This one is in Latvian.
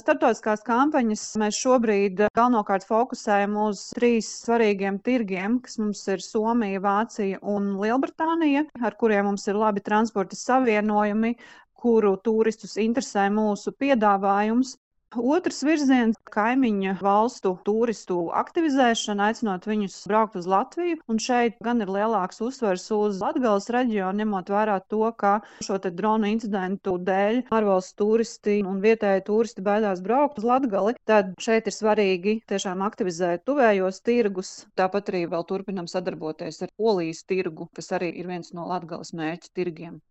Starptautiskās kampaņas mēs šobrīd galvenokārt fokusējam uz 3 svarīgiem tirgiem, kas mums ir Somija, Vācija un Lielbritānija, ar kuriem mums ir labi transporta savienojumi, kuru turistus interesē mūsu piedāvājums. Otrs virziens - kaimiņu valstu turistu aktivizēšana, aicinot viņus braukt uz Latviju. Un šeit gan ir lielāks uzsvers uz Latgales reģionu, ņemot vērā to, ka šo te dronu incidentu dēļ ārvalstu turisti un vietēji turisti baidās braukt uz Latgali. Tad šeit ir svarīgi tiešām aktivizēt tuvējos tirgus. Tāpat arī vēl turpinam sadarboties ar Polijas tirgu, kas arī ir viens no Latgales mērķu tirgiem.